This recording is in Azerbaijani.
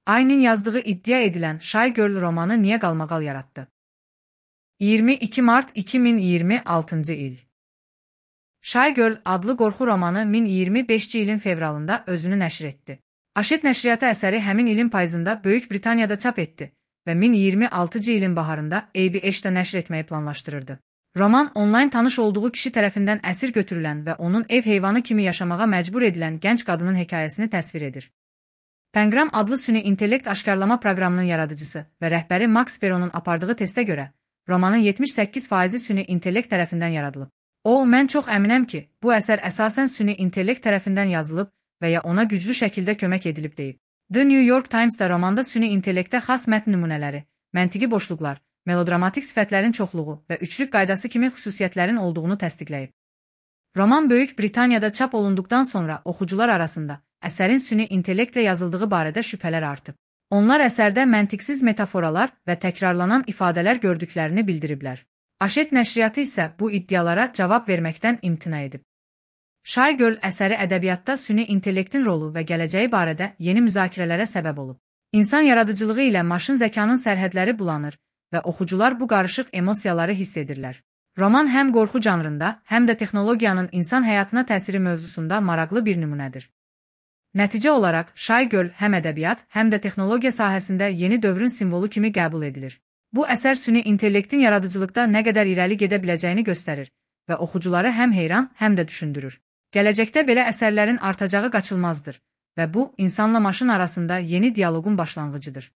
Aynin yazdığı iddia edilən Shy Girl romanı niyə qalmaqal yaratdı? 22 Mart 2026-cı il. Shy Girl adlı qorxu romanı 2025-ci ilin fevralında özünü nəşr etdi. Hachette nəşriyyatı əsəri həmin ilin payızında Böyük Britaniyada çap etdi və 2026-cı ilin baharında ABH-də nəşr etməyi planlaşdırırdı. Roman, onlayn tanış olduğu kişi tərəfindən əsir götürülən və onun ev heyvanı kimi yaşamağa məcbur edilən gənc qadının hekayəsini təsvir edir. Pengram adlı süni intellekt aşkarlama proqramının yaradıcısı və rəhbəri Max Peronun apardığı testə görə, romanın 78% süni intellekt tərəfindən yaradılıb. Mən çox əminəm ki, bu əsər əsasən süni intellekt tərəfindən yazılıb və ya ona güclü şəkildə kömək edilib deyib. The New York Times-da romanda süni intellektə xas mətn nümunələri, məntiqi boşluqlar, melodramatik sifətlərin çoxluğu və üçlük qaydası kimi xüsusiyyətlərin olduğunu təsdiqləyib. Roman Böyük Britaniyada çap olunduqdan sonra oxucular arasında əsərin süni intellektlə yazıldığı barədə şübhələr artıb. Onlar əsərdə məntiqsiz metaforalar və təkrarlanan ifadələr gördüklərini bildiriblər. Hachette nəşriyyatı isə bu iddialara cavab verməkdən imtina edib. Shy Girl əsəri ədəbiyyatda süni intellektin rolu və gələcəyi barədə yeni müzakirələrə səbəb olub. İnsan yaradıcılığı ilə maşın zəkanın sərhədləri bulanır və oxucular bu qarışıq emosiyaları hiss edirlər. Roman həm qorxu janrında, həm də texnologiyanın insan həyatına təsiri mövzusunda maraqlı bir nümunədir. Nəticə olaraq, Shy Girl həm ədəbiyyat, həm də texnologiya sahəsində yeni dövrün simvolu kimi qəbul edilir. Bu əsər süni intellektin yaradıcılıqda nə qədər irəli gedə biləcəyini göstərir və oxucuları həm heyran, həm də düşündürür. Gələcəkdə belə əsərlərin artacağı qaçılmazdır və bu, insanla maşın arasında yeni dialoqun başlanğıcıdır.